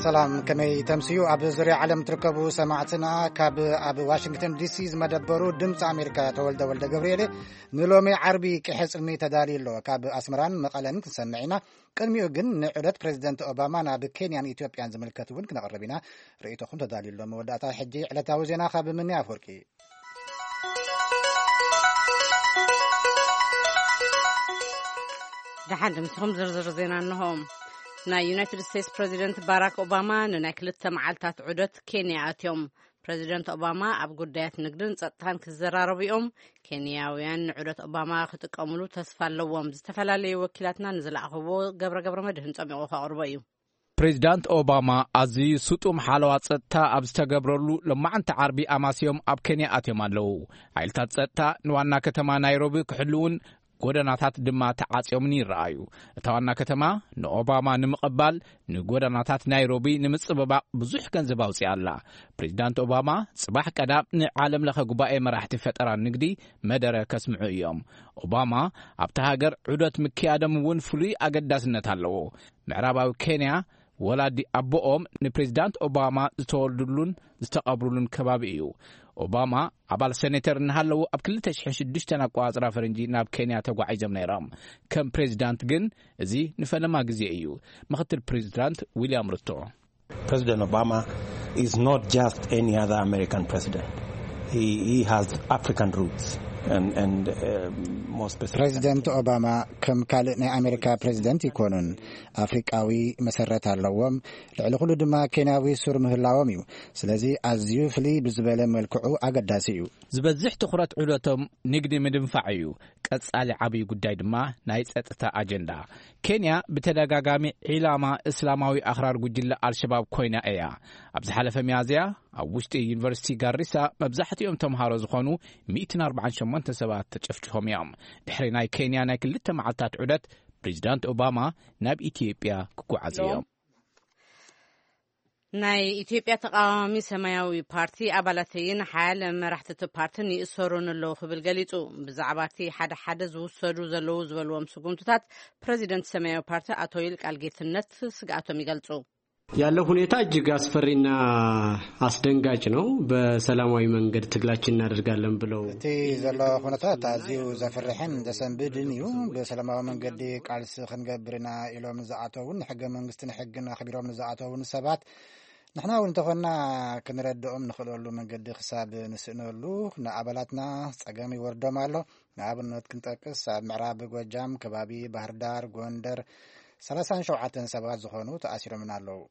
ሰላም፣ ከመይ ተምስዩ? ኣብ ዙርያ ዓለም ትርከቡ ሰማዕትና፣ ካብ ኣብ ዋሽንግተን ዲሲ ዝመደበሩ ድምፂ ኣሜሪካ ተወልደ ወልደ ገብርኤል። ንሎሚ ዓርቢ ቅሐ ጽልሚ ተዳልዩ ኣሎ። ካብ ኣስመራን መቐለን ክንሰምዕ ኢና። ቅድሚኡ ግን ንዑደት ፕሬዚደንት ኦባማ ናብ ኬንያን ኢትዮጵያን ዝምልከት እውን ክነቕርብ ኢና። ርእይቶኹም ተዳልዩ ኣሎ። መወዳእታ ሕጂ ዕለታዊ ዜና ካብ ምኒ ኣፍወርቂ። ደሓን ድምስኹም ዝርዝር ዜና እንሆ። ናይ ዩናይትድ ስቴትስ ፕሬዚደንት ባራክ ኦባማ ንናይ ክልተ መዓልታት ዑደት ኬንያ ኣትዮም። ፕሬዚደንት ኦባማ ኣብ ጉዳያት ንግድን ጸጥታን ክዘራረቡ እዮም። ኬንያውያን ንዑደት ኦባማ ክጥቀሙሉ ተስፋ ኣለዎም። ዝተፈላለዩ ወኪላትና ንዝለኣኽዎ ገብረ ገብረ መድህን ጸሚቑ ከቕርቦ እዩ። ፕሬዚዳንት ኦባማ ኣዝዩ ስጡም ሓለዋ ጸጥታ ኣብ ዝተገብረሉ ሎማዕንቲ ዓርቢ ኣማስዮም ኣብ ኬንያ ኣትዮም ኣለዉ። ሓይልታት ጸጥታ ንዋና ከተማ ናይሮቢ ክሕልውን ጎደናታት ድማ ተዓጽዮምን ይረኣዩ። እታ ዋና ከተማ ንኦባማ ንምቕባል ንጎደናታት ናይሮቢ ንምጽብባቕ ብዙሕ ገንዘብ ኣውጺኣ ኣላ። ፕሬዚዳንት ኦባማ ጽባሕ ቀዳም ንዓለም ለኸ ጉባኤ መራሕቲ ፈጠራ ንግዲ መደረ ከስምዑ እዮም። ኦባማ ኣብታ ሃገር ዑደት ምክያዶም እውን ፍሉይ ኣገዳስነት ኣለዎ። ምዕራባዊ ኬንያ ወላዲ ኣቦኦም ንፕሬዚዳንት ኦባማ ዝተወልዱሉን ዝተቐብሩሉን ከባቢ እዩ። ኦባማ ኣባል ሴኔተር እናሃለዉ ኣብ ክልተ ሽሕን ሽዱሽተን ኣቆጻጽራ ፈረንጂ ናብ ኬንያ ተጓዒዞም ነይሮም። ከም ፕሬዚዳንት ግን እዚ ንፈለማ ግዜ እዩ። ምክትል ፕሬዚዳንት ዊልያም ሩቶ። President Obama is not just any other American president. He, he has African roots and, and uh, more specifically. ፕሬዚደንት ኦባማ ከም ካልእ ናይ ኣሜሪካ ፕሬዚደንት ይኮኑን። ኣፍሪቃዊ መሰረት ኣለዎም። ልዕሊ ኩሉ ድማ ኬንያዊ ሱር ምህላዎም እዩ። ስለዚ ኣዝዩ ፍልይ ብዝበለ መልክዑ ኣገዳሲ እዩ። ዝበዝሕ ትኹረት ዑደቶም ንግዲ ምድንፋዕ እዩ። ቀጻሊ ዓብዪ ጉዳይ ድማ ናይ ጸጥታ ኣጀንዳ። ኬንያ ብተደጋጋሚ ዒላማ እስላማዊ ኣኽራር ጉጅለ ኣልሸባብ ኮይና እያ። ኣብ ዝሓለፈ ሚያዝያ ኣብ ውሽጢ ዩኒቨርሲቲ ጋሪሳ መብዛሕትኦም ተምሃሮ ዝኾኑ ሚእትን ኣርባዓን ሸሞንተ ሰባት ተጨፍጭፎም እዮም። ድሕሪ ናይ ኬንያ ናይ ክልተ መዓልታት ዑደት ፕሬዚዳንት ኦባማ ናብ ኢትዮጵያ ክጓዓዙ እዮም። ናይ ኢትዮጵያ ተቃዋሚ ሰማያዊ ፓርቲ ኣባላተይን ሓያለ መራሕቲ እቲ ፓርትን ይእሰሩን ኣለዉ ክብል ገሊጹ። ብዛዕባ እቲ ሓደ ሓደ ዝውሰዱ ዘለዉ ዝበልዎም ስጉምትታት ፕሬዚደንት ሰማያዊ ፓርቲ ኣቶ ይልቃል ጌትነት ስግኣቶም ይገልጹ። ያለው ሁኔታ እጅግ አስፈሪና አስደንጋጭ ነው። በሰላማዊ መንገድ ትግላችን እናደርጋለን ብለው እቲ ዘሎ ኩነታት ኣዝዩ ዘፍርሕን ዘሰንብድን እዩ። ብሰላማዊ መንገዲ ቃልሲ ክንገብር ኢና ኢሎም ንዝኣተውን ንሕገ መንግስትን ሕግን ኣኽቢሮም ንዝኣተውን ሰባት ንሕና እውን እንተኾንና ክንረድኦም ንኽእለሉ መንገዲ ክሳብ ንስእነሉ ንኣባላትና ጸገም ይወርዶም ኣሎ። ንኣብነት ክንጠቅስ ኣብ ምዕራብ ጎጃም ከባቢ ባህርዳር፣ ጎንደር ሰላሳን ሸውዓተን ሰባት ዝኾኑ ተኣሲሮምን ኣለዉ።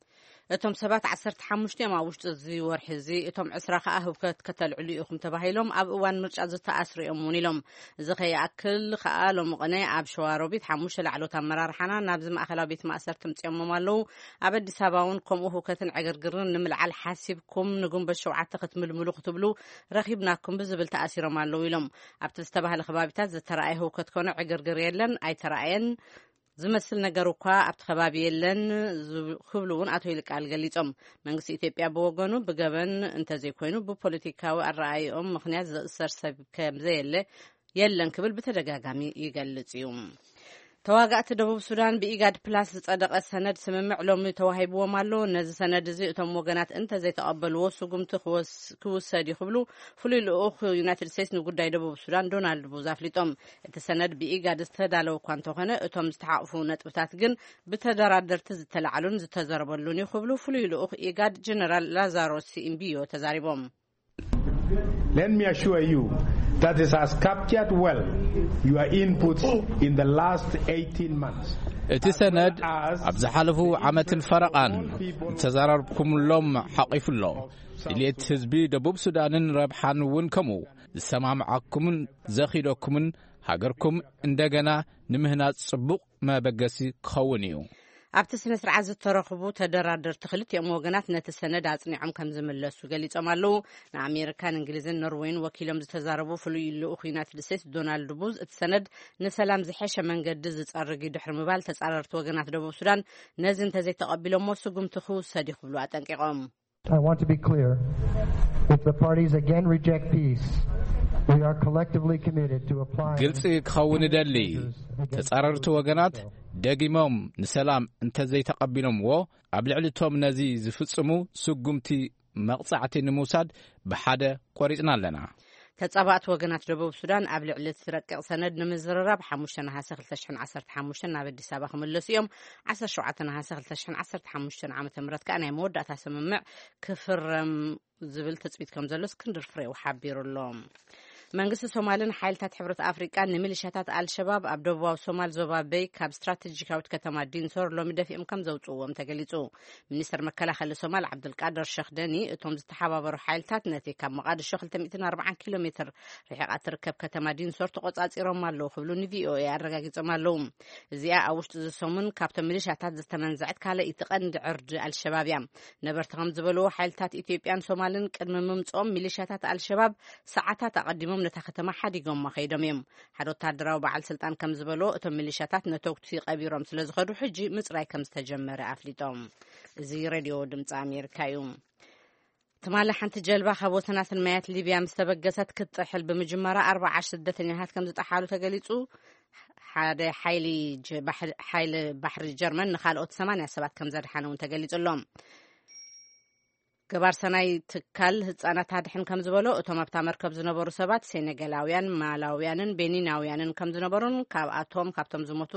እቶም ሰባት ዓሰርተ ሓሙሽተ እዮም ኣብ ውሽጢ እዚ ወርሒ እዚ፣ እቶም ዕስራ ከኣ ህውከት ከተልዕሉ ኢኹም ተባሂሎም ኣብ እዋን ምርጫ ዝተኣስሩ እዮም እውን ኢሎም። እዚ ከይኣክል ከኣ ሎሚ ቅነ ኣብ ሸዋሮቢት ሓሙሽተ ላዕሎት ኣመራርሓና ናብዚ ማእኸላዊ ቤት ማእሰርቲ ምጽዮሞም ኣለዉ። ኣብ ኣዲስ ኣበባ እውን ከምኡ ህውከትን ዕግርግርን ንምልዓል ሓሲብኩም ንግንቦት ሸውዓተ ክትምልምሉ ክትብሉ ረኺብናኩም ብዝብል ተኣሲሮም ኣለዉ ኢሎም። ኣብቲ ዝተባህለ ከባቢታት ዝተረኣየ ህውከት ኮነ ዕግርግር የለን፣ ኣይተረኣየን። ዝመስል ነገር እኳ ኣብቲ ከባቢ የለን ዝብ-፣ ክብሉ እውን ኣቶ ይልቃል ገሊጾም። መንግስቲ ኢትዮጵያ ብወገኑ ብገበን እንተዘይኮይኑ ብፖለቲካዊ ኣረኣይኦም ምኽንያት ዝእሰር ሰብ ከምዘየለ የለን ክብል ብተደጋጋሚ ይገልጽ እዩ። ተዋጋእቲ ደቡብ ሱዳን ብኢጋድ ፕላስ ዝጸደቐ ሰነድ ስምምዕ ሎሚ ተዋሂብዎም ኣሎ። ነዚ ሰነድ እዚ እቶም ወገናት እንተዘይተቐበልዎ ስጉምቲ ክወስ-፣ ክውሰድ እዩ ክብሉ ፍሉይ ልኡኽ ዩናይትድ ስቴትስ ንጉዳይ ደቡብ ሱዳን ዶናልድ ቡዝ ኣፍሊጦም። እቲ ሰነድ ብኢጋድ ዝተዳለወ እኳ እንተኾነ፣ እቶም ዝተሓቑፉ ነጥብታት ግን ብተደራደርቲ ዝተላዕሉን ዝተዘረበሉን እዩ ክብሉ ፍሉይ ልኡኽ ኢጋድ ጀነራል ላዛሮስ ሲኢምቢዮ ተዛሪቦም። Let me assure you that it has captured well your inputs in the last eighteen months. እቲ ሰነድ ኣብ ዝሓለፉ ዓመትን ፈረቓን ዝተዘራረብኩምሎም ሓቒፉ ኣሎ። ድልየት ህዝቢ ደቡብ ሱዳንን ረብሓን እውን ከምኡ ዝሰማምዓኩምን ዘኺደኩምን ሃገርኩም እንደገና ንምህናጽ ጽቡቕ መበገሲ ክኸውን እዩ። ኣብቲ ስነ ስርዓት ዝተረኽቡ ተደራደርቲ ክልቲኦም ወገናት ነቲ ሰነድ ኣጽኒዖም ከም ዝምለሱ ገሊጾም ኣለዉ። ንኣሜሪካን እንግሊዝን ኖርዌይን ወኪሎም ዝተዛረቡ ፍሉይ ልኡኽ ዩናይትድ ስቴትስ ዶናልድ ቡዝ፣ እቲ ሰነድ ንሰላም ዝሐሸ መንገዲ ዝጸርግ እዩ ድሕሪ ምባል፣ ተጻረርቲ ወገናት ደቡብ ሱዳን ነዚ እንተዘይተቐቢሎሞ ስጉምቲ ክውሰድ እዩ ክብሉ ኣጠንቂቖም። I want to be clear. If the parties again reject peace, We are collectively committed to applying ግልጺ ክኸውን እደሊ። ተጻረርቲ ወገናት ደጊሞም ንሰላም እንተዘይተቐቢሎምዎ፣ ኣብ ልዕሊ እቶም ነዚ ዝፍጽሙ ስጉምቲ መቕጻዕቲ ንምውሳድ ብሓደ ቆሪጽና ኣለና። ተጻባእቲ ወገናት ደቡብ ሱዳን ኣብ ልዕሊ እቲ ረቂቕ ሰነድ ንምዝርራብ ሓሙሽተ ነሓሰ ክልተ ሽሕን ዓሰርተ ሓሙሽተን ናብ ኣዲስ ኣበባ ክምለሱ እዮም። ዓሰርተ ሸውዓተ ነሓሰ ክልተ ሽሕን ዓሰርተ ሓሙሽተን ዓመተ ምህረት ከኣ ናይ መወዳእታ ስምምዕ ክፍረም ዝብል ትጽቢት ከም ዘሎ እስክንድር ፍሬው ሓቢሩ ኣሎ። መንግስቲ ሶማልን ሓይልታት ሕብረት ኣፍሪቃን ንሚሊሻታት ኣልሸባብ ኣብ ደቡባዊ ሶማል ዞባ በይ ካብ ስትራቴጂካዊት ከተማ ዲንሶር ሎሚ ደፊኦም ከም ዘውጽእዎም ተገሊጹ። ሚኒስተር መከላኸሊ ሶማል ዓብዱልቃድር ሸኽ ደኒ፣ እቶም ዝተሓባበሩ ሓይልታት ነቲ ካብ መቓድሾ ክልተ ሚእትን ኣርባዓን ኪሎ ሜትር ርሒቓ ትርከብ ከተማ ዲንሶር ተቖጻጺሮም ኣለዉ ክብሉ ንቪኦኤ ኣረጋጊጾም ኣለዉ። እዚኣ ኣብ ውሽጢ እዚ ሰሙን ካብቶም ሚሊሻታት ዝተመንዘዐት ካልኣይቲ ቀንዲ ዕርዲ ኣልሸባብ እያ። ነበርቲ ከም ዝበልዎ፣ ሓይልታት ኢትዮጵያን ሶማልን ቅድሚ ምምጽኦም ሚሊሻታት ኣልሸባብ ሰዓታት ኣቐዲሞም ነታ ከተማ ሓዲጎማ ከይዶም እዮም። ሓደ ወታደራዊ በዓል ስልጣን ከም ዝበሎ፣ እቶም ሚሊሻታት ነተጉቲ ቀቢሮም ስለ ዝኸዱ፣ ሕጂ ምጽራይ ከም ዝተጀመረ ኣፍሊጦም። እዚ ሬድዮ ድምፂ ኣሜሪካ እዩ። ትማሊ ሓንቲ ጀልባ ካብ ወሰናስን ማያት ሊብያ ምስ ተበገሰት ክትጥሕል ብምጅማራ ኣርባዓ ስደተኛታት ከም ዝጠሓሉ ተገሊጹ። ሓደ ሓይሊ ጀ-፣ ባሕሪ፣ ሓይሊ ባሕሪ ጀርመን ንኻልኦት ሰማንያ ሰባት ከም ዘድሓነ እውን ተገሊጹ ኣሎ። ገባር ሰናይ ትካል ህጻናት ኣድሕን ከም ዝበሎ፣ እቶም ኣብታ መርከብ ዝነበሩ ሰባት ሴኔጋላውያን፣ ማላውያንን ቤኒናውያንን ከም ዝነበሩን፣ ካብኣቶም፣ ካብቶም ዝሞቱ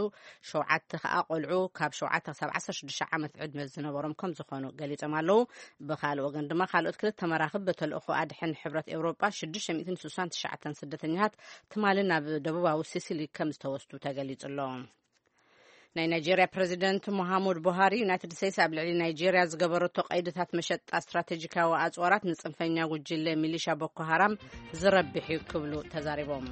ሸውዓተ ከኣ ቆልዑ ካብ ሸውዓተ ክሳብ ዓሰርተ ሽዱሽተ ዓመት ዕድመ ዝነበሮም ከም ዝኾኑ ገሊጾም ኣለዉ። ብኻልእ ወገን ድማ፣ ካልኦት ክልተ መራኽብ ብተልእኾ ኣድሕን ሕብረት ኤውሮጳ ሽዱሽተ ሚእትን ስሳን ትሽዓተን ስደተኛታት ትማሊ ናብ ደቡባዊ ሲሲሊ ከም ዝተወስዱ ተገሊጹ ኣሎ። ናይ ናይጄርያ ፕረዚደንት ሙሃሙድ ቡሃሪ፣ ዩናይትድ ስቴትስ ኣብ ልዕሊ ናይጄርያ ዝገበረቶ ቀይድታት መሸጣ ስትራቴጂካዊ ኣጽዋራት ንጽንፈኛ ጉጅለ ሚሊሻ ቦኮ ሃራም ዝረብሕ እዩ ክብሉ ተዛሪቦም።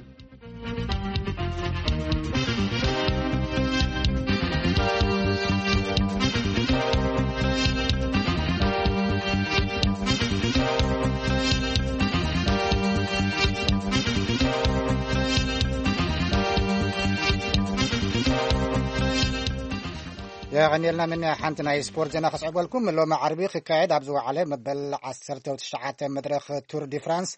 የቐንየልና። ምን ሓንቲ ናይ ስፖርት ዜና ከስዕበልኩም። ሎሚ ዓርቢ ክካየድ ኣብ ዝወዓለ መበል ዓሰርተ ትሽዓተ መድረኽ ቱር ዲ ፍራንስ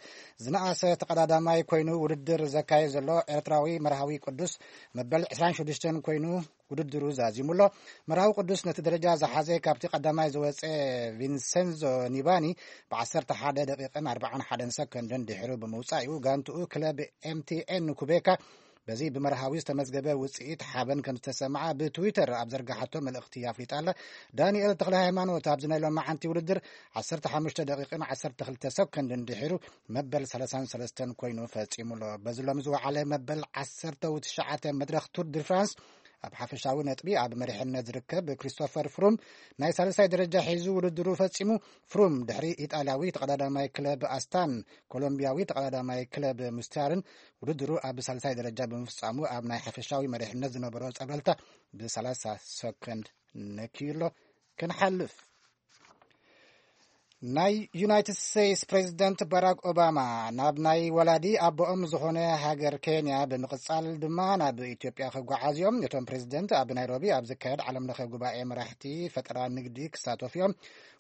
ዝነኣሰ ተቐዳዳማይ ኮይኑ ውድድር ዘካየድ ዘሎ ኤርትራዊ መርሃዊ ቅዱስ መበል ዕስራን ሽዱሽተን ኮይኑ ውድድሩ ዛዚሙ ኣሎ። መርሃዊ ቅዱስ ነቲ ደረጃ ዝሓዘ ካብቲ ቀዳማይ ዝወፀ ቪንሰንዞ ኒባኒ ብ ዓሰርተ ሓደ ደቂቕን ኣርባዓን ሓደን ሰከንድን ድሕሩ ብምውፃእ እዩ። ጋንትኡ ክለብ ኤምቲኤን ኩቤካ በዚ ብመርሃዊ ዝተመዝገበ ውፅኢት ሓበን ከም ዝተሰምዓ ብትዊተር ኣብ ዘርጋሓቶ መልእኽቲ ኣፍሊጣ ኣላ። ዳንኤል ተኽለ ሃይማኖት ኣብዚ ናይ ሎማዓንቲ ውድድር ዓሰርተ ሓሙሽተ ደቂቕን ዓሰርተ ክልተ ሰከንድን ድሒሩ መበል ሰላሳን ሰለስተን ኮይኑ ፈጺሙ ኣሎ። በዚ ሎሚ ዝወዓለ መበል ዓሰርተ ትሽዓተ መድረኽ ቱር ዲ ፍራንስ ኣብ ሓፈሻዊ ነጥቢ ኣብ መሪሕነት ዝርከብ ክሪስቶፈር ፍሩም ናይ ሳልሳይ ደረጃ ሒዙ ውድድሩ ፈጺሙ። ፍሩም ድሕሪ ኢጣልያዊ ተቐዳዳማይ ክለብ ኣስታን ኮሎምቢያዊ ተቐዳዳማይ ክለብ ሙስታርን ውድድሩ ኣብ ሳልሳይ ደረጃ ብምፍጻሙ ኣብ ናይ ሓፈሻዊ መሪሕነት ዝነበሮ ጸብለልታ ብ ሰላሳ ሰከንድ ነክዩ ኣሎ። ክንሓልፍ ናይ ዩናይትድ ስቴትስ ፕሬዚደንት ባራክ ኦባማ ናብ ናይ ወላዲ ኣቦኦም ዝኾነ ሃገር ኬንያ ብምቕጻል ድማ ናብ ኢትዮጵያ ክጓዓዝ እዮም። እቶም ፕሬዚደንት ኣብ ናይሮቢ ኣብ ዝካየድ ዓለም ለኸ ጉባኤ መራሕቲ ፈጠራ ንግዲ ክሳተፉ እዮም።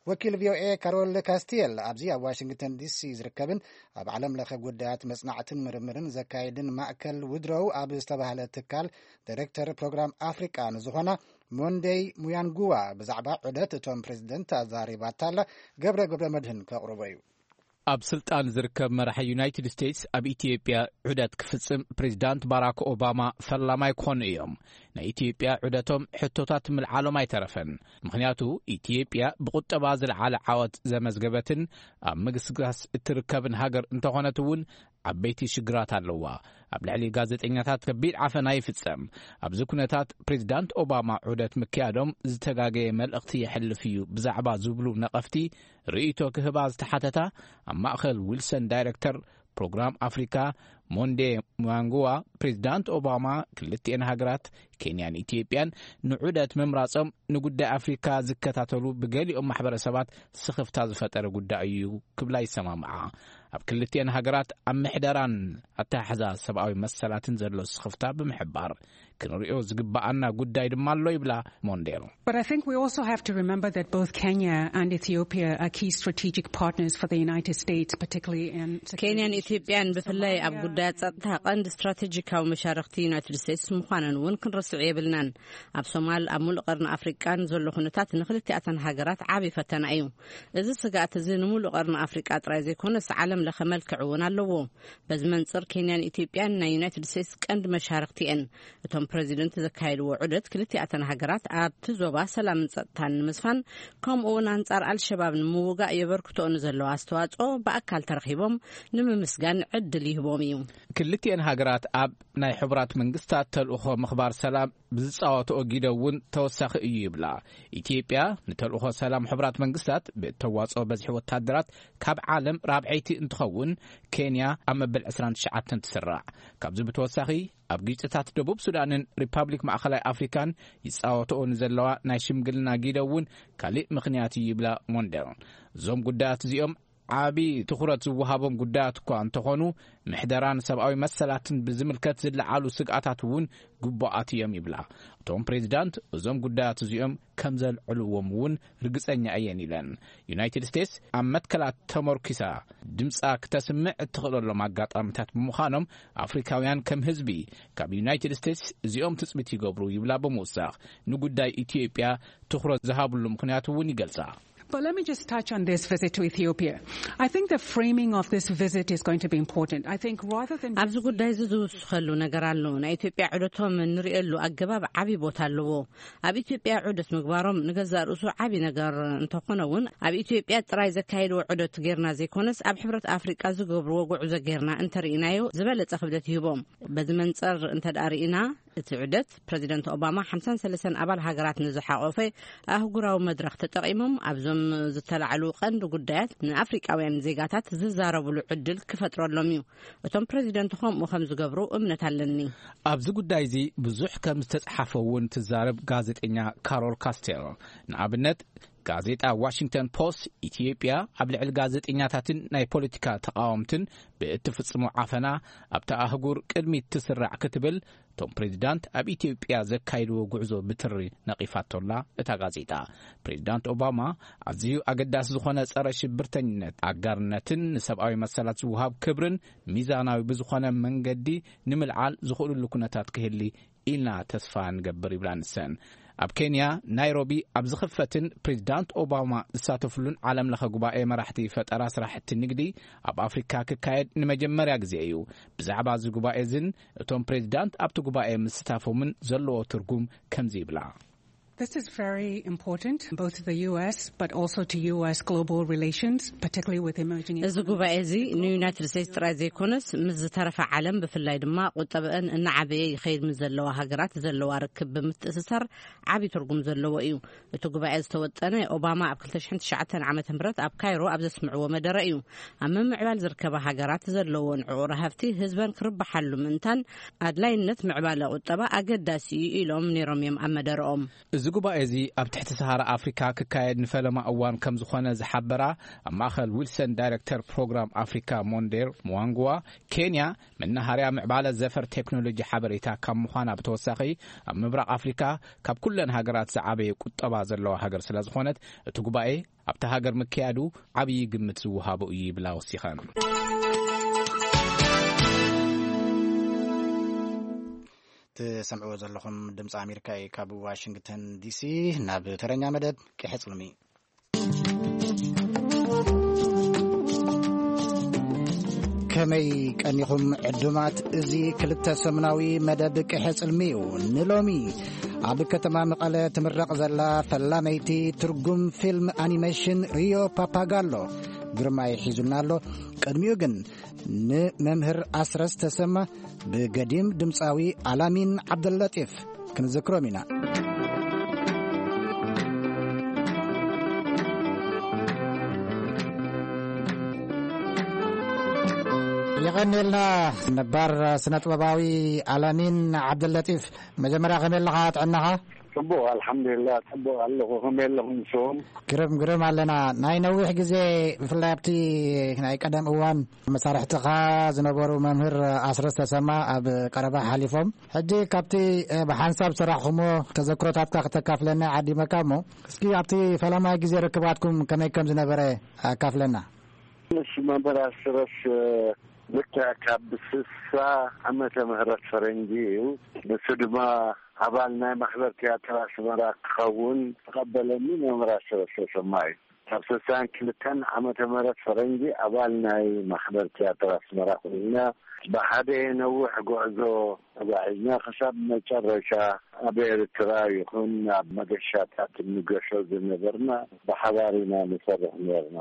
ወኪል ቪኦኤ ካሮል ካስቲየል ኣብዚ ኣብ ዋሽንግተን ዲሲ ዝርከብን ኣብ ዓለም ለኸ ጉዳያት መጽናዕትን ምርምርን ዘካየድን ማእከል ውድሮው ኣብ ዝተባህለ ትካል ዳይሬክተር ፕሮግራም ኣፍሪቃ ንዝኾና ሞንደይ ሙያንጉዋ ብዛዕባ ዑደት እቶም ፕሬዚደንት ኣዛሪባታ ኣላ። ገብረ ገብረ መድህን ከቕርቦ እዩ። ኣብ ስልጣን ዝርከብ መራሒ ዩናይትድ ስቴትስ ኣብ ኢትዮጵያ ዑደት ክፍጽም ፕሬዚዳንት ባራክ ኦባማ ፈላማይ ክኾኑ እዮም። ናይ ኢትዮጵያ ዑደቶም ሕቶታት ምልዓሎም ኣይተረፈን። ምኽንያቱ ኢትዮጵያ ብቁጠባ ዝለዓለ ዓወት ዘመዝገበትን ኣብ ምግስጋስ እትርከብን ሃገር እንተኾነት እውን ዓበይቲ ሽግራት ኣለዋ። ኣብ ልዕሊ ጋዜጠኛታት ከቢድ ዓፈና ይፍጸም። ኣብዚ ኩነታት ፕሬዚዳንት ኦባማ ዑደት ምክያዶም ዝተጋገየ መልእኽቲ የሕልፍ እዩ ብዛዕባ ዝብሉ ነቐፍቲ ርእይቶ ክህባ ዝተሓተታ ኣብ ማእከል ዊልሰን ዳይሬክተር ፕሮግራም ኣፍሪካ ሞንዴ ሙናንግዋ፣ ፕሬዚዳንት ኦባማ ክልቲኤን ሃገራት ኬንያን ኢትዮጵያን ንዑደት ምምራጾም ንጉዳይ ኣፍሪካ ዝከታተሉ ብገሊኦም ማሕበረሰባት ስኽፍታ ዝፈጠረ ጉዳይ እዩ ክብላ ይሰማምዓ። ኣብ ክልቲኤን ሃገራት ኣብ ምሕደራን ኣተሓሕዛ ሰብኣዊ መሰላትን ዘሎ ስኽፍታ ብምሕባር፣ ክንሪኦ ዝግባኣና ጉዳይ ድማ ኣሎ ይብላ ሞንዴል። But I think we also have to remember that both Kenya and Ethiopia are key strategic partners for the United States, particularly in security issues. ኬንያን ኢትዮጵያን ብፍላይ ኣብ ጉዳያት ጸጥታ ቀንዲ ስትራቴጂካዊ መሻርኽቲ ዩናይትድ ስቴትስ ምዃነን እውን ክንርስዕ የብልናን። ኣብ ሶማል፣ ኣብ ሙሉእ ቀርኒ ኣፍሪቃን ዘሎ ኩነታት ንክልቲኣተን ሃገራት ዓቢ ፈተና እዩ። እዚ ስግኣት እዚ ንሙሉእ ቀርኒ ኣፍሪቃ ጥራይ ዘይኮነስ ዓለም ለኸ መልክዕ እውን ኣለዎ። በዚ መንጽር ኬንያን ኢትዮጵያን ናይ ዩናይትድ ስቴትስ ቀንዲ መሻርኽቲ እየን። እቶም ፕረዚደንት ዘካየድዎ ዑደት ክልቲኣተን ሃገራት ኣብቲ ዞባ ሰላምን ጸጥታን ንምስፋን ከምኡ እውን ኣንጻር ኣልሸባብ ንምውጋእ የበርክቶኦ ንዘለዎ ኣስተዋጽኦ ብኣካል ተረኺቦም ንምምስጋን ዕድል ይህቦም እዩ። ክልቲኤን ሃገራት ኣብ ናይ ሕቡራት መንግስታት ተልእኾ ምኽባር ሰላም ብዝጻወትኦ ጊደ እውን ተወሳኺ እዩ ይብላ። ኢትዮጵያ ንተልእኾ ሰላም ሕቡራት መንግስታት ብእተዋጽኦ በዝሒ ወታደራት ካብ ዓለም ራብዐይቲ እንትኸውን፣ ኬንያ ኣብ መበል ዕስራን ትሽዓተን ትስራዕ። ካብዚ ብተወሳኺ ኣብ ግጭታት ደቡብ ሱዳንን ሪፓብሊክ ማእኸላይ ኣፍሪካን ይጻወትኦ ንዘለዋ ናይ ሽምግልና ጊደ እውን ካሊእ ምኽንያት እዩ ይብላ ሞንደል። እዞም ጉዳያት እዚኦም ዓቢ ትኹረት ዝወሃቦም ጉዳያት እኳ እንተኾኑ፣ ምሕደራን ሰብኣዊ መሰላትን ብዝምልከት ዝለዓሉ ስግኣታት እውን ግቡኣት እዮም ይብላ። እቶም ፕሬዚዳንት እዞም ጉዳያት እዚኦም ከም ዘልዕልዎም እውን ርግጸኛ እየን ኢለን። ዩናይትድ ስቴትስ ኣብ መትከላት ተመርኪሳ ድምጻ ክተስምዕ እትኽእለሎም ኣጋጣሚታት ብምዃኖም፣ ኣፍሪካውያን ከም ህዝቢ ካብ ዩናይትድ ስቴትስ እዚኦም ትጽቢት ይገብሩ ይብላ ብምውሳኽ፣ ንጉዳይ ኢትዮጵያ ትኹረት ዝሃብሉ ምኽንያት እውን ይገልጻ። But let me just touch on this visit to Ethiopia. I think the framing of this visit is going to be important. I think rather than ኣብዚ ጉዳይ እዚ ዝውስኸሉ ነገር ኣሎ። ናይ ኢትዮጵያ ዑደቶም እንርእየሉ ኣገባብ ዓቢ ቦታ ኣለዎ። ኣብ ኢትዮጵያ ዑደት ምግባሮም ንገዛእ ርእሱ ዓቢ ነገር እንተኾነ እውን፣ ኣብ ኢትዮጵያ ጥራይ ዘካየድዎ ዑደት ጌርና ዘይኮነስ፣ ኣብ ሕብረት ኣፍሪቃ ዝገብርዎ ጉዕዞ ጌርና እንተርኢናዮ ዝበለጸ ክብደት ይህቦም። በዚ መንጸር እንተ ደኣ ርኢና፣ እቲ ዑደት ፕረዚደንት ኦባማ ሓምሳን ሰለስተን ኣባል ሃገራት ንዝሓቖፈ ኣህጉራዊ መድረኽ ተጠቒሞም ኣብዞም ዝተላዕሉ ቀንዲ ጉዳያት ንኣፍሪቃውያን ዜጋታት ዝዛረብሉ ዕድል ክፈጥረሎም እዩ። እቶም ፕረዚደንት ከምኡ ከም ዝገብሩ እምነት ኣለኒ። ኣብዚ ጉዳይ እዚ ብዙሕ ከም ዝተጻሓፈ እውን ትዛረብ ጋዜጠኛ ካሮል ካስቴል። ንኣብነት፣ ጋዜጣ ዋሽንግተን ፖስት፣ ኢትዮጵያ ኣብ ልዕሊ ጋዜጠኛታትን ናይ ፖለቲካ ተቓወምትን ብእትፍጽሞ ዓፈና ኣብታ ኣህጉር ቅድሚት ትስራዕ ክትብል፣ እቶም ፕሬዚዳንት ኣብ ኢትዮጵያ ዘካይድዎ ጉዕዞ ብትሪ ነቒፋቶላ እታ ጋዜጣ። ፕሬዚዳንት ኦባማ ኣዝዩ ኣገዳሲ ዝኾነ ጸረ ሽብርተኝነት ኣጋርነትን ንሰብኣዊ መሰላት ዝወሃብ ክብርን ሚዛናዊ ብዝኾነ መንገዲ ንምልዓል ዝኽእልሉ ኩነታት ክህሊ ኢልና ተስፋ ንገብር ይብላ ንሰን። ኣብ ኬንያ ናይሮቢ ኣብ ዝኽፈትን ፕሬዚዳንት ኦባማ ዝሳተፍሉን ዓለም ለኸ ጉባኤ መራሕቲ ፈጠራ ስራሕቲ ንግዲ ኣብ ኣፍሪካ ክካየድ ንመጀመርያ ግዜ እዩ። ብዛዕባ እዚ ጉባኤ እዝን እቶም ፕሬዚዳንት ኣብቲ ጉባኤ ምስታፎምን ዘለዎ ትርጉም ከምዚ ይብላ። This is very important both to the U S but also to U S global relations, particularly with emerging እዚ ጉባኤ እዚ ንዩናይትድ ስቴትስ ጥራይ ዘይኮነስ ምስ ዝተረፈ ዓለም ብፍላይ ድማ ቁጠበአን እናዓበየ ይኸይድ ምስ ዘለዋ ሃገራት ዘለዋ ርክብ ብምትእስሳር ዓቢ ትርጉም ዘለዎ እዩ። እቲ ጉባኤ ዝተወጠነ ኦባማ ኣብ ክልተ ሽሕን ትሽዓተን ዓመተ ምህረት ኣብ ካይሮ ኣብ ዘስምዕዎ መደረ እዩ። ኣብ ምምዕባል ዝርከባ ሃገራት ዘለዎን ዕቑር ሃብቲ ህዝበን ክርብሓሉ ምእንታን ኣድላይነት ምዕባለ ቁጠባ ኣገዳሲ እዩ ኢሎም ነይሮም እዮም ኣብ መደረኦም። እዚ ጉባኤ እዚ ኣብ ትሕቲ ሰሃራ ኣፍሪካ ክካየድ ንፈለማ እዋን ከም ዝኾነ ዝሓበራ ኣብ ማእኸል ዊልሰን ዳይሬክተር ፕሮግራም ኣፍሪካ ሞንዴር ሙዋንግዋ፣ ኬንያ መናሃርያ ምዕባለ ዘፈር ቴክኖሎጂ ሓበሬታ ካብ ምዃና ብተወሳኺ፣ ኣብ ምብራቕ ኣፍሪካ ካብ ኩለን ሃገራት ዝዓበየ ቁጠባ ዘለዋ ሃገር ስለ ዝኾነት፣ እቲ ጉባኤ ኣብታ ሃገር ምክያዱ ዓብዪ ግምት ዝወሃቦ እዩ ይብላ ወሲኸን። ትሰምዕዎ ዘለኹም ድምፂ ኣሜሪካ እዩ። ካብ ዋሽንግተን ዲሲ ናብ ተረኛ መደብ ቅሐ ጽልሚ። ከመይ ቀኒኹም ዕዱማት? እዚ ክልተ ሰሙናዊ መደብ ቅሐ ጽልሚ እዩ። ንሎሚ ኣብ ከተማ መቐለ ትምረቕ ዘላ ፈላመይቲ ትርጉም ፊልም ኣኒሜሽን ሪዮ ፓፓጋሎ ግርማይ ሒዙልና ኣሎ። ቅድሚኡ ግን ንመምህር ኣስረስ ተሰማ ብገዲም ድምፃዊ ኣላሚን ዓብደለጢፍ ክንዝክሮም ኢና። የቐንየልና ነባር ስነ ጥበባዊ ኣላሚን ዓብደለጢፍ። መጀመርያ ከመይ ኣለኻ? ጥዕናኻ? ጽቡቕ፣ ኣልሓምዱሊላህ፣ ጽቡቕ ኣለኹ። ከመይ ኣለኹም ንስኹም? ግርም፣ ግርም ኣለና። ናይ ነዊሕ ግዜ፣ ብፍላይ ኣብቲ ናይ ቀደም እዋን መሳርሕትኻ ዝነበሩ መምህር ኣስረስ ተሰማ ኣብ ቀረባ ሓሊፎም። ሕጂ ካብቲ፣ እ፣ ብሓንሳብ ዝሰራሕኹሞ ተዘክሮታትካ ክተካፍለና ዓዲመካ እሞ፣ እስኪ ኣብቲ ፈለማይ ግዜ ርክባትኩም ከመይ ከም ዝነበረ ኣካፍለና። ምስ መምህር ኣስረስ፣ እ፣ ልክዕ ካብ ስሳ ዓመተ ምህረት ፈረንጂ እዩ። ንሱ ድማ ኣባል ናይ ማሕበር ትያትር ኣስመራ ክኸውን ተቐበለኒ መምህር ኣስረስ ተሰማ እዩ። ካብ ስሳን ክልተን ዓመተ ምህረት ፈረንጂ ኣባል ናይ ማሕበር ትያትር ኣስመራ ኮይና፣ ብሓደ ነዊሕ ጉዕዞ ተጓዒዝና፣ ክሳብ መጨረሻ ኣብ ኤርትራ ይኹን ኣብ መገሻታት እንገሾ ዝነበርና ብሓባር ኢና ንሰርሕ ነርና።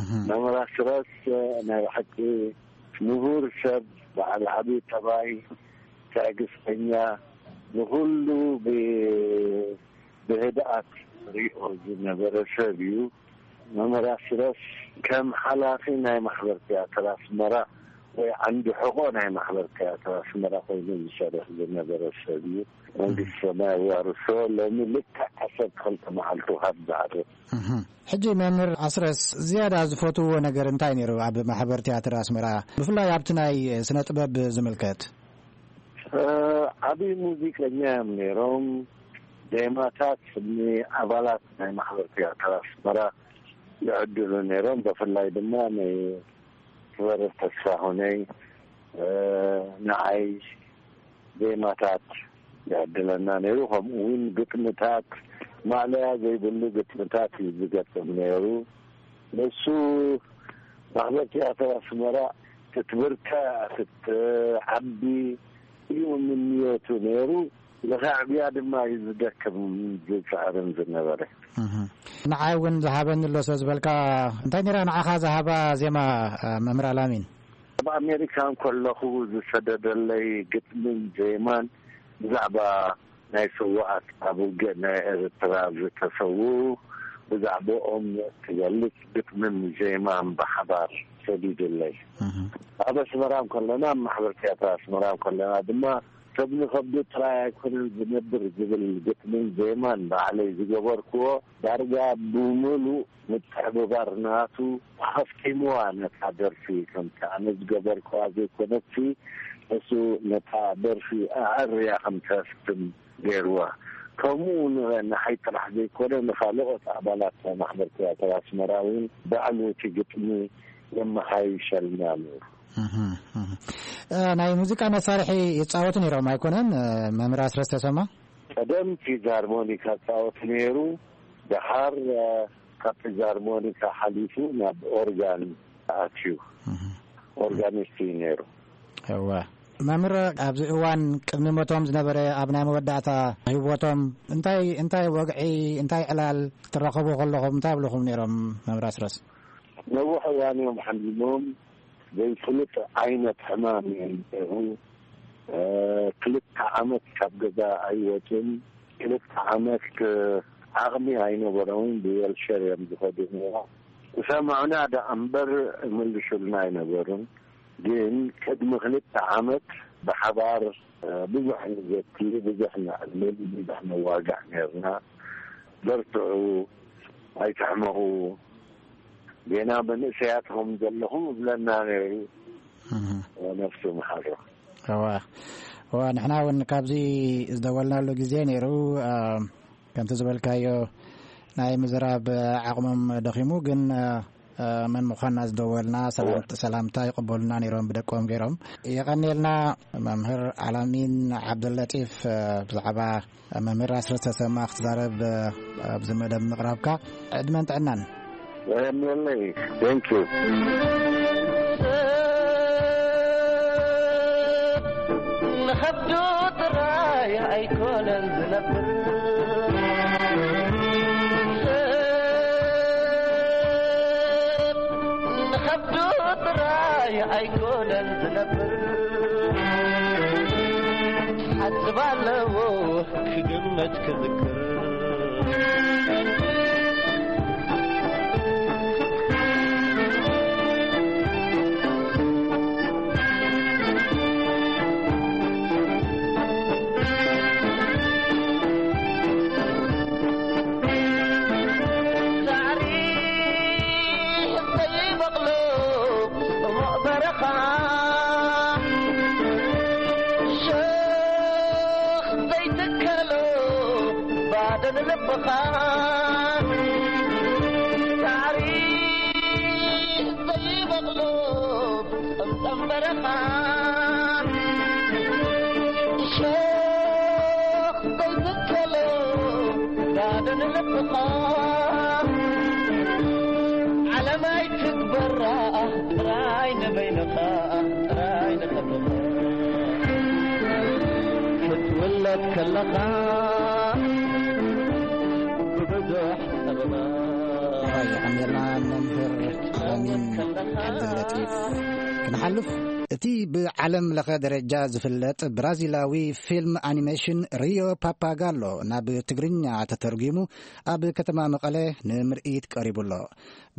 እህ። መምህር ኣስረስ ናይ ብሓቂ ምሁር ሰብ፣ በዓል ዓቢ ጠባይ፣ ትዕግስተኛ፣ ንኹሉ ብ-፣ ብህድኣት ሪኦ ዝነበረ ሰብ እዩ። መምህር ኣስረስ ከም ሓላፊ ናይ ማሕበር ትያትር ኣስመራ ወይ ዓንዲ ሕቖ ናይ ማሕበር ትያትር ኣስመራ ኮይኑ ዝሰርሕ ዝነበረ ሰብ እዩ። መንግስቲ ሰማይ ኣዋርሶ። ሎሚ ልክዕ ዓሰርተ ክልተ መዓልቱ ካብ ዝዓርፍ። እህ። ሕጂ መምህር ኣስረስ ዝያዳ ዝፈትውዎ ነገር እንታይ ነይሩ ኣብ ማሕበር ትያትር ኣስመራ፣ ብፍላይ ኣብቲ ናይ ስነ ጥበብ ዝምልከት? እ፣ ዓቢ ሙዚቀኛ እዮም ነይሮም። ዜማታት ንኣባላት ናይ ማሕበር ትያትር ኣስመራ ይዕድሉ ነይሮም። ብፍላይ ድማ ንክበርር ተስፋሁነይ፣ እ፣ ንዓይ ዜማታት ይዕድለና ነይሩ። ከምኡ እውን ግጥምታት፣ ማእለያ ዘይብሉ ግጥምታት እዩ ዝገጥም ነይሩ። ንሱ ማሕበር ትያትር ኣስመራ ክትብርትዕ፣ ክትዓቢ እዩ ምንዮቱ ነይሩ። ንኸዕብያ ድማ እዩ ዝደክም ዝጽዕርን ዝነበረ። እህ። ንዓይ እውን ዝሃበኒ ኣሎ ስለ ዝበልካ፣ እንታይ ነይራ ንዓኻ ዝሃባ ዜማ፣ መምህር ኣላሚን? ኣብ ኣሜሪካ እንከለኹ ዝሰደደለይ ግጥምን ዜማን ብዛዕባ ናይ ስውኣት ኣብ ውግእ ናይ ኤርትራ ዝተሰውኡ፣ ብዛዕባኦም ትገልጽ ግጥምን ዜማን ብሓባር ሰዲዱለይ። እህ። ኣብ ኣስመራ እንከለና፣ ኣብ ማሕበር ትያትር ኣስመራ እንከለና ድማ፣ ሰብ ንኸብዱ ጥራይ ኣይኮነን ዝነብር ዝብል ግጥምን ዜማን ባዕለይ ዝገበርክዎ፣ ዳርጋ ብምሉእ ምትሕብባር ናቱ ኣኸፍቲምዋ ነታ ደርፊ። ከምቲ ኣነ ዝገበርክዋ ዘይኮነትሲ፣ እሱ ነታ ደርፊ ኣዐርያ ከም ተፍትም ገይርዋ። ከምኡ ን-፣ ንዓይ ጥራሕ ዘይኮነ፣ ንኻልኦት ኣባላት ናይ ማሕበር ትያትር ኣስመራ እውን ባዕሉ እቲ ግጥሚ የመሓይሸልና ነይሩ። እህ፣ እህ። እ፣ ናይ ሙዚቃ መሳርሒ ይጻወቱ ነይሮም ኣይኮነን፣ እ፣ መምህር ኣስረስ ተሰማ? ቀደም ፊዛርሞኒካ ጻወት ነይሩ። ደሓር፣ እ፣ ካብ ፊዛርሞኒካ ሓሊፉ ናብ ኦርጋን ኣትዩ። እህ። ኦርጋኒስት እዩ ነይሩ። እወ። መምህር፣ ኣብዚ እዋን ቅድሚ ሞቶም ዝነበረ፣ ኣብ ናይ መወዳእታ ህይወቶም እንታይ፣ እንታይ ወግዒ፣ እንታይ ዕላል ክትራኸቡ ከለኹም እንታይ ይብልኹም ነይሮም መምህር ኣስረስ? ነዊሕ እዋን እዮም ሓሚሞም። ዘይፍሉጥ ዓይነት ሕማም እዩ ነይሩ። እ፣ ክልተ ዓመት ካብ ገዛ ኣይወጹን። ክልተ ዓመት፣ እ፣ ዓቕሚ ኣይነበሮምን። ብዌልቸር እዮም ዝኸዱ ነይሮም። ዝሰምዑና ደኣ እምበር ይምልሱልና ኣይነበሩን። ግን ቅድሚ ክልተ ዓመት ብሓባር፣ እ፣ ብዙሕ ንዘቲ፣ ብዙሕ ነዕልል፣ ብዙሕ ነዋግዕ ነይርና። በርትዑ፣ ኣይትሕመቑ፣ ጌና መንእሰያት ኹም ዘለኹም እብለና ነይሩ። እህ። ነፍሱ መሓሮ። እዋ፣ እዋ፣ ንሕና እውን ካብዚ ዝደወልናሉ ግዜ ነይሩ። እ፣ ከምቲ ዝበልካዮ ናይ ምዝራብ ዓቕሞም ደኺሙ፣ ግን፣ እ፣ እ፣ መን ምዃንና ዝደወልና ሰላም-፣ እዋ። ሰላምታ ይቕበሉና ነይሮም ብደቆም ገይሮም። የቐንየልና መምህር ኣላሚን ዓብደለጢፍ፣ እ፣ ብዛዕባ መምህር ኣስረስ ተሰማ ክትዛረብ፣ እ፣ ኣብዚ መደብ ምቕራብካ ዕድመን ጥዕናን። የቐንየለይ። Thank you። ንኸብዱ ጥራይ ኣይኮነን ዝነብር፣ ንኸብዱ ጥራይ ኣይኮነን ዝነብር። ሓስብ ኣለዎ ክግመት ክዝክር። ሸኽ ዘይትከሎ ባዶ ንልብኻ ሳዕሪ ዘይበቕሎ ጸምጸም በረኻ ሸኽ ዘይትከሎ ባዶ ንልብኻ ዓለም ኣይትግበራ ጥራይ ንበይንኻ ጥራይ ንኸብኻ ክትውለድ ከለኻ ብብዙሕ ጸበባ ጥራይ የቐንየልና መምህር ኣሚን ዓብደለጢፍ። ክንሓልፍ እቲ ብዓለም ለኸ ደረጃ ዝፍለጥ ብራዚላዊ ፊልም ኣኒሜሽን ሪዮ ፓፓጋሎ ናብ ትግርኛ ተተርጒሙ ኣብ ከተማ መቐለ ንምርኢት ቀሪቡ ኣሎ።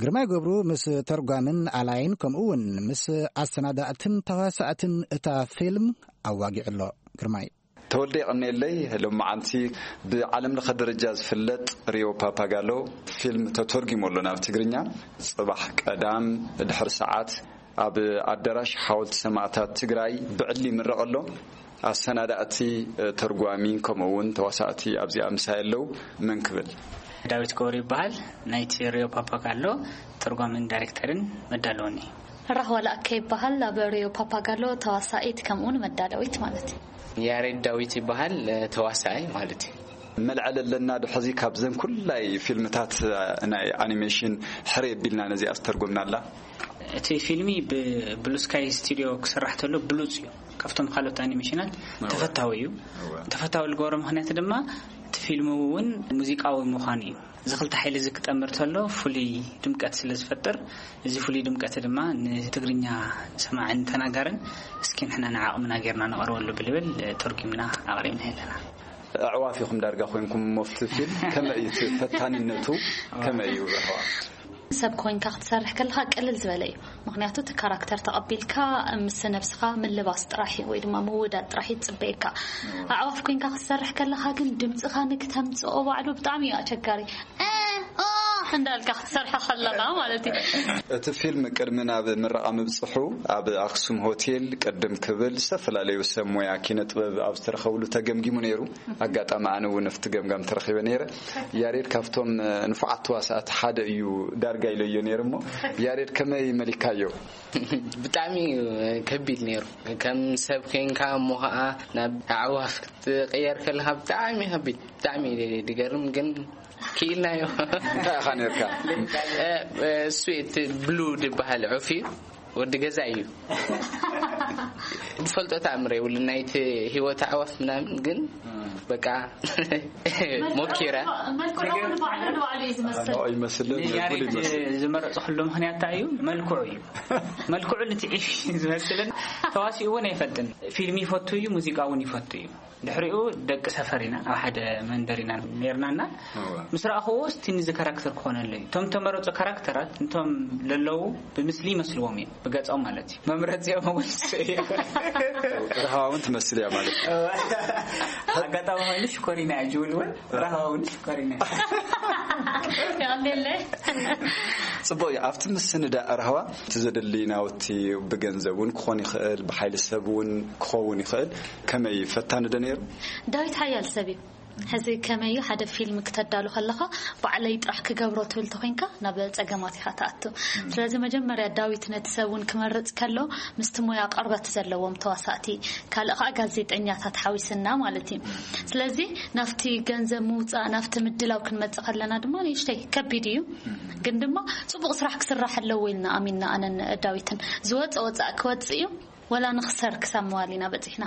ግርማይ ገብሩ ምስ ተርጓምን ኣላይን ከምኡ እውን ምስ ኣሰናዳእትን ተዋሳእትን እታ ፊልም ኣዋጊዑ ኣሎ። ግርማይ። ተወልደ የቐነየለይ። ሎመዓንቲ ብዓለም ለኸ ደረጃ ዝፍለጥ ሪዮ ፓፓጋሎ ፊልም ተተርጒሙ ኣሎ ናብ ትግርኛ። ጽባሕ ቀዳም ድሕሪ ሰዓት ኣብ ኣዳራሽ ሓወልቲ ሰማእታት ትግራይ ብዕሊ ይምረቕ ኣሎ። ኣሰናዳእቲ፣ ተርጓሚ፣ ከምኡ እውን ተዋሳእቲ ኣብዚኣ ምሳይ ኣለዉ። መን ክብል? ዳዊት ገብሩ ይበሃል። ናይቲ ሪዮ ፓፓጋሎ ተርጓምን ዳይሬክተርን መዳለውን እየ። ራህዋ ለኣከ ይበሃል። ኣብ ሪዮ ፓፓጋሎ ተዋሳኢት ከምኡውን መዳለዊት ማለት እዩ። ያሬድ ዳዊት ይበሃል፣ ተዋሳኣይ ማለት እዩ። መልዐል ኣለና ዶ ሕዚ ካብዘን ኩላይ ፊልምታት ናይ ኣኒሜሽን ሕረ የቢልና ነዚኣ ዝተርጎምናላ? እቲ ፊልሚ ብብሉ ስካይ ስቱዲዮ ክስራሕ ተሎ ብሉጽ እዩ። ካብቶም ካልኦት ኣኒሜሽናት ተፈታዊ እዩ። ተፈታዊ ዝገብሮ ምኽንያት ድማ እቲ ፊልም እውን ሙዚቃዊ ምዃኑ እዩ። እዚ ክልተ ሓይሊ እዚ ክጠምር ተሎ ፍሉይ ድምቀት ስለ ዝፈጥር፣ እዚ ፍሉይ ድምቀት ድማ ንትግርኛ ሰማዕን ተናጋርን እስኪ ንሕና ንዓቕምና ጌርና ነቕርበሉ ብልብል ተርጉምና ኣቕሪብና ኣለና። ኣዕዋፍ ኢኹም ዳርጋ ኮይንኩም እሞ ኣብቲ ፊልም ከመይ እዩ እቲ ፈታንነቱ ከመይ እዩ? ራህዋ ሰብ ኮይንካ ክትሰርሕ ከለካ ቅልል ዝበለ እዩ። ምክንያቱ እቲ ካራክተር ተቐቢልካ ምስ ነብስኻ ምልባስ ጥራሕ እዩ ወይ ድማ ምውዳድ ጥራሕ እዩ ዝፅበየካ። ኣዕዋፍ ኮይንካ ክትሰርሕ ከለካ ግን ድምፅኻ ንክተምፅኦ ባዕሉ ብጣዕሚ እዩ ኣቸጋሪ። እ፣ ኦ እንዳልካ ክትሰርሖ ከለካ ማለት እዩ። እቲ ፊልም ቅድሚ ናብ ምረቓ ምብፅሑ ኣብ ኣክሱም ሆቴል ቅድም ክብል ዝተፈላለዩ ሰብ ሞያ ኪነ ጥበብ ኣብ ዝተረኸብሉ ተገምጊሙ ነይሩ። ኣጋጣሚ ኣነ እውን ኣብቲ ገምጋም ተረኺበ ነይረ። ያሬድ ካብቶም ንፉዓት ተዋሳእቲ ሓደ እዩ ዳርጋ ኢለዮ ነይረ እሞ ያሬድ ከመይ መሊካዮ? ብጣዕሚ እዩ ከቢድ ነይሩ። ከም ሰብ ኮይንካ እሞ ኸዓ ናብ ኣዕዋፍ ክትቀየር ከለኻ ብጣዕሚ ከቢድ፣ ብጣዕሚ ድገርም ግን ክኢልናዮ። እንታይ ኢኻ ነርካ? እ፣ እ፣ እሱ እቲ ብሉ ዝበሃል ዑፍ እዩ። ወዲ ገዛ እዩ። ዝፈልጦ ተኣምር የብሉ ናይቲ ህይወት ኣዕዋፍ ምናምን ግን በቃ ሞኪረ። መልክዑ ንባዕሉ ንባዕሉ እዩ ዝመስል። ኖ ይመስልን ያሬድ ይመስል። ዝመረፅኩሉ ምኽንያት እንታይ እዩ? መልክዑ እዩ። መልክዑ ልትዒፍ ዝመስልን ተዋሲኡ እውን ኣይፈልጥን። ፊልም ይፈቱ እዩ፣ ሙዚቃ እውን ይፈቱ እዩ። ድሕሪኡ ደቂ ሰፈር ኢና፣ ኣብ ሓደ መንደር ኢና ነርናና። እወ። ምስ ረኣኽዎ እስቲ ንዚ ካራክተር ክኾነለይ እቶም ተመረፁ ካራክተራት እንቶም ለለዉ ብምስሊ ይመስልዎም እዮም፣ ብገፆም ማለት እዩ። መምረፂኦም እውን እሱ እዩ። ርሃዋ እውን ትመስል እያ ማለት እዩ። ኣጋጣሚ ኮይኑ ሽኮሪና እያ ጅውል እውን ርሃዋ እውን ሽኮሪና እያ። ያንዴለ። ጽቡቕ እዩ። ኣብቲ ምስንዳእ ርሃዋ እቲ ዘድሊ ናውቲ ብገንዘብ እውን ክኾን ይኽእል፣ ብሓይሊ ሰብ እውን ክኸውን ይኽእል። ከመይ እዩ? ፈታኒ ዶ ነይሩ? ዳዊት ሓያል ሰብ እዩ። ሕዚ ከመይ እዩ ሓደ ፊልም ክተዳሉ ከለኻ ባዕለይ ጥራሕ ክገብሮ ትብል ተኾይንካ ናብ ጸገማት ኢኻ ትኣቱ። ስለዚ መጀመርያ ዳዊት ነቲ ሰብ እውን ክመርጽ ከሎ ምስቲ ሞያ ቅርበት ዘለዎም ተዋሳእቲ ካልእ ከዓ ጋዜጠኛታት ሓዊስና ማለት እዩ። ስለዚ ናብቲ ገንዘብ ምውፃእ ናብቲ ምድላው ክንመጽእ ከለና ድማ ንእሽተይ ከቢድ እዩ። ግን ድማ ጽቡቕ ስራሕ ክስራሕ ኣለዎ ኢልና ኣሚንና ኣነን ዳዊትን። ዝወፀ ወፃእ ክወፅእ እዩ። ወላ ንኽሰር ክሳብ መዋሊና በፂሕና።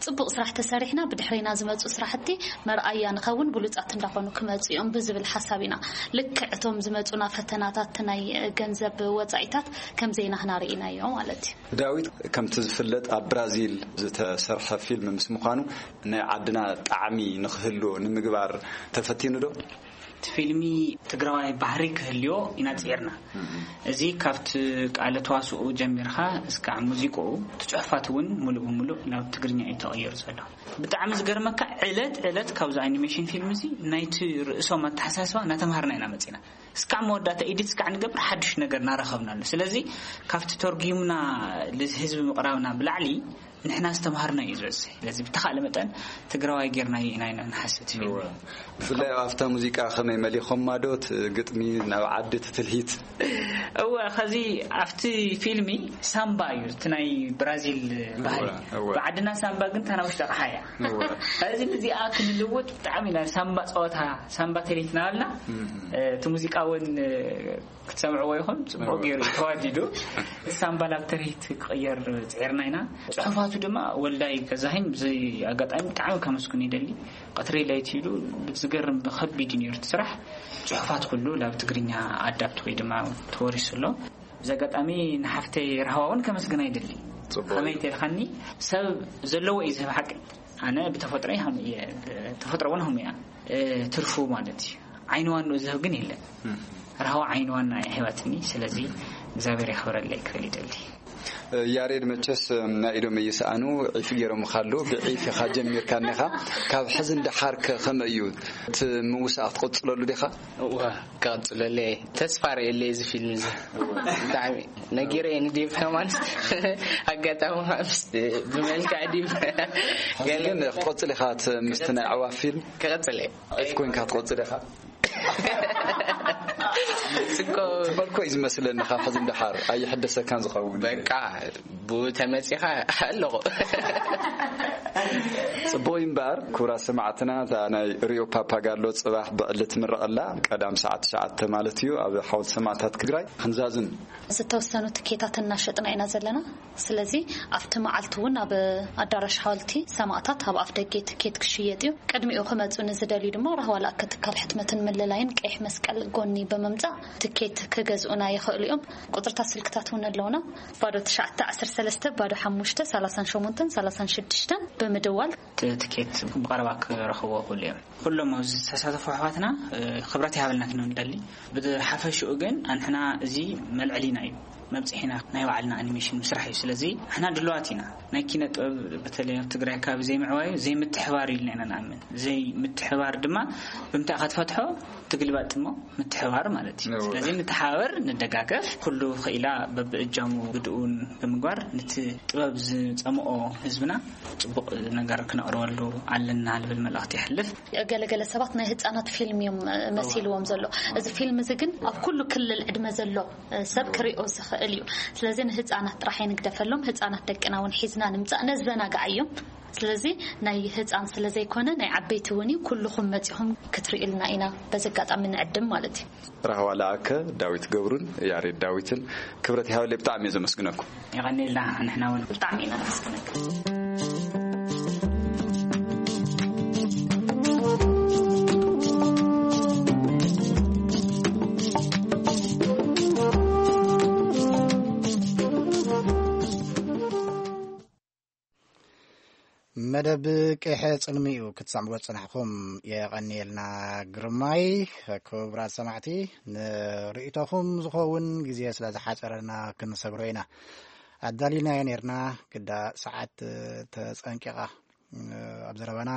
ፅቡቕ ስራሕ ተሰሪሕና ብድሕሪና ዝመፁ ስራሕቲ መርኣያ ንኸውን ብሉፃት እንዳኾኑ ክመፁ እዮም ብዝብል ሓሳብ ኢና። ልክዕ እቶም ዝመፁና ፈተናታት ናይ ገንዘብ ወፃኢታት ከምዘይናህና ርኢናዮ ማለት እዩ። ዳዊት ከምቲ ዝፍለጥ ኣብ ብራዚል ዝተሰርሐ ፊልም ምስ ምዃኑ ናይ ዓድና ጣዕሚ ንኽህልዎ ንምግባር ተፈቲኑ ዶ? እቲ ፊልሚ ትግራዋይ ባህሪ ክህልዮ ኢና ጽዒርና። እዚ ካብቲ ቃለ ተዋስኦ ጀሚርካ እስካዕ ሙዚቃኡ፣ እቲ ጽሑፋት እውን ሙሉእ ብሙሉእ ናብ ትግርኛ እዩ ተቐይሩ ዘሎ። ብጣዕሚ ዝገርመካ፣ ዕለት ዕለት ካብዚ ኣኒሜሽን ፊልም እዚ ናይቲ ርእሶም ኣተሓሳስባ እናተምሃርና ኢና መጺና። እስካዕ መወዳእታ ኤዲት እስካዕ ንገብር ሓድሽ ነገር እናረኸብና ኣሎ። ስለዚ ካብቲ ተርጉምና ንህዝቢ ምቕራብና ብላዕሊ ንሕና ዝተምሃርና እዩ ዝበዝሕ። ስለዚ ብተኻእለ መጠን ትግራዋይ ጌርናዮ ኢና ኢና ንሓስብ እቲ ፊልም። እወ። ብፍላይ ኣብታ ሙዚቃ ከመይ መሊኾማ ዶ እቲ ግጥሚ ናብ ዓዲ እቲ ትልሂት? እወ፣ ኸዚ ኣብቲ ፊልሚ ሳምባ እዩ፣ እቲ ናይ ብራዚል ባህሊ። እወ፣ እወ። ብዓድና ሳምባ ግን እታ ናብ ውሽጢ ኣቕሓ እያ። እወ። ኸዚ ንዚኣ ክንልውጥ ብጣዕሚ ኢና ሳምባ ጸወታ፣ ሳምባ ተሌት ናበልና፣ እም። እቲ ሙዚቃ እውን ክትሰምዕዎ ይኹን፣ ጽቡቅ እወ። ገይሩ እዩ ተዋዲዱ። ሳምባ ናብ ተሬት ክቕየር ጽዒርና ኢና። ጽሑፋቱ ድማ ወልዳይ ገዛኸኝ ብዚ ኣጋጣሚ ብጣዕሚ ከመስግኖ ይደሊ። ቀትሪ ለይቲ ኢሉ ብዝገርም ከቢድ እዩ ነይሩ እቲ ስራሕ። ጽሑፋት ኩሉ ናብ ትግርኛ ኣዳፕት ወይ ድማ ተወሪሱ ኣሎ። ብዚ ኣጋጣሚ ንሓፍተይ ራህዋ እውን ከመስግና ይደሊ። ጽቡቅ ከመይ እዩ። ተልኻኒ ሰብ ዘለዎ እዩ ዝህብ ሓቂ። ኣነ ብተፈጥሮይ ሃም እየ፣ ተፈጥሮ እውን ሃም እያ። እ፣ ትርፉ ማለት እዩ። ዓይኒ ዋንኡ ዝህብ ግን የለን። እም። ራህዋ ዓይኒ ዋና እያ ሂባትኒ። ስለዚ እግዚኣብሔር የኽብረለይ ክብል ይደሊ። ያሬድ፣ መቸስ ናይ ኢዶም እይሰኣኑ፣ ዒፍ ገይሮም ካሉ ብዒፍ ኢኻ ጀሚርካ እኒኻ። ካብ ሕዚ ንደሓር ከ ከመይ እዩ? እቲ ምውሳእ ክትቕጽለሉ ዲኻ? እወ፣ ክቕጽለሉ እየ። ተስፋ ርእየለይ እዚ ፊልም እዚ። ብጣዕሚ ነጊረ እየ ንዴቭ ከማን። ኣጋጣሚ ምስ ብመልክዕ ዲቭ ሕዚ ገለ ግን ክትቐጽል ኢኻ፣ እቲ ምስቲ ናይ ኣዕዋፍ ፊልም? ክቐጽል እየ። ዒፍ ኮይንካ ክትቐጽል ኢኻ? ጽኮ ትፈልኮ እዩ ዝመስለኒ፣ ካብ ሕዚ ንደሓር ኣይሕደሰካን ዝኸውን። በቃ፣ ብኡ ተመጺኻ ኣለኹ። ጽቡቕ እዩ እምበኣር፣ ክቡራት ሰማዕትና፣ እታ ናይ ሪዮ ፓፓጋሎ ጽባሕ ብዕሊ ትምረቕ ኣላ፣ ቀዳም ሰዓት ትሽዓተ ማለት እዩ፣ ኣብ ሓወልቲ ሰማዕታት ትግራይ ክንዛዝም። ዝተወሰኑ ትኬታት እናሸጥና ኢና ዘለና። ስለዚ ኣብቲ መዓልቲ እውን ኣብ ኣዳራሽ ሓወልቲ ሰማእታት ኣብ ኣፍ ደገ ትኬት ክሽየጥ እዩ። ቅድሚኡ ክመፁ ንዝደልዩ ድማ ራህዋ ለኣከ ትካል ሕትመትን ምልላይን ቀይሕ መስቀል ጎኒ ብምምፃእ ትኬት ክገዝኡና ይኽእሉ እዮም። ቁፅርታት ስልክታት እውን ኣለውና። ባዶ ትሽዓተ ዓሰርተ ሰለስተ ባዶ ሓሙሽተ ሰላሳን ሸሞንተን ሰላሳን ሽዱሽተን ብምድዋል ት-፣ ትኬት ብቐረባ ክረኽብዎ ይኽእሉ እዮም። ኩሎም ኣብዚ ዝተሳተፉ ኣሕዋትና፣ እ፣ ክብረት ይሃበልና ክነደሊ። ብሓፈሽኡ ግን ኣንሕና እዚ መልዕሊና እዩ። መብጽሒና ናይ ባዕልና ኣኒሜሽን ምስራሕ እዩ። ስለዚ ንሕና ድልዋት ኢና። ናይ ኪነ ጥበብ በተለይ ኣብ ትግራይ ከባቢ ዘይምዕባዩ ዘይምትሕባር ኢልና ኢና ንኣምን። ዘይምትሕባር ድማ ብምንታይ ኢኻ ትፈትሖ? ትግልባጥ እሞ ምትሕባር ማለት እዩ። እወ። ስለዚ ንተሓባበር፣ ንደጋገፍ። ኩሉ ክኢላ በብእጃሙ ግድኡን ብምግባር ነቲ ጥበብ ዝጸምኦ ህዝብና ጽቡቕ ነገር ክነቕርበሉ ኣለና ልብል መልእኽቲ የሕልፍ። ገለገለ ሰባት ናይ ህፃናት ፊልም እዮም መሲልዎም ዘሎ። እዚ ፊልም እዚ ግን ኣብ ኩሉ ክልል ዕድመ ዘሎ ሰብ ክሪኦ ዝኽእል እዩ። ስለዚ ንህፃናት ጥራሕ ኣይንግደፈሎም። ህፃናት ደቅና እውን ሒዝና ንምፃእ ነዘናግዓዮም። ስለዚ ናይ ህፃን ስለ ዘይኮነ ናይ ዓበይቲ እውን እዩ። ኩልኹም መፂኹም ክትርእዩልና ኢና በዚ ኣጋጣሚ ንዕድም ማለት እዩ። ራህዋ ለኣከ፣ ዳዊት ገብሩን ያሬድ ዳዊትን ክብረት ይሃበለይ፣ ብጣዕሚ እየ ዘመስግነኩም። የቐንየልና። ንሕና እውን ብጣዕሚ ኢና ነመስግነካ። መደብ ቀይሐ ጽልሚኡ ክትሰምዕዎ ዝጸናሕኩም የቐንየልና። ግርማይ፣ ክቡራት ሰማዕቲ፣ ንርእይቶኹም ዝኸውን ግዜ ስለ ዝሓጸረና ክንሰግሮ ኢና። ኣዳሊናዮ ኔርና፣ ግዳ ሰዓት ተጸንቂቓ። ኣብ ዘረባና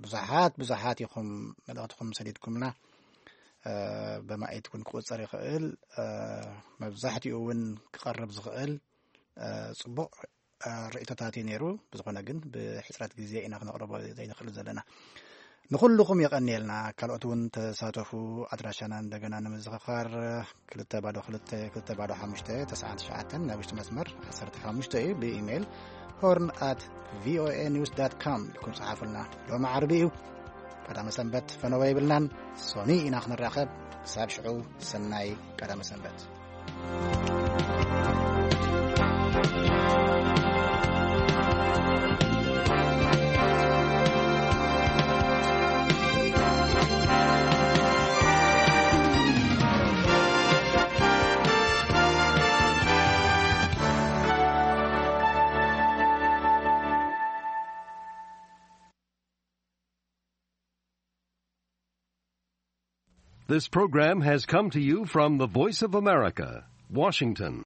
ብዙሓት፣ ብዙሓት ኢኹም መልእኽትኹም ሰዲድኩምና። በማኢት እውን ክቑጸር ይኽእል። መብዛሕትኡ እውን ክቐርብ ዝኽእል ጽቡቕ ርእይቶታት እዩ ነይሩ። ብዝኾነ ግን ብሕጽረት ግዜ ኢና ክነቕርቦ ዘይንኽእል ዘለና። ንኹልኹም የቐንየልና። ካልኦት እውን ተሳተፉ። ኣድራሻና እንደገና ንምዝኽኻር፣ ክልተ ባዶ ክልተ፣ ክልተ ባዶ ሓሙሽተ፣ ተስዓን ትሽዓተን፣ ናይ ውሽጢ መስመር ዓሰርተ ሓሙሽተ እዩ። ብኢሜይል ሆርን ኣት ቪኦኤ ኒውስ ዳት ካም ኢልኩም ጸሓፉልና። ሎሚ ዓርቢ እዩ። ቀዳመ ሰንበት ፈነወ የብልናን። ሶኒ ኢና ክንራኸብ። ክሳብ ሽዑ፣ ሰናይ ቀዳመ ሰንበት። This program has come to you from the Voice of America, Washington.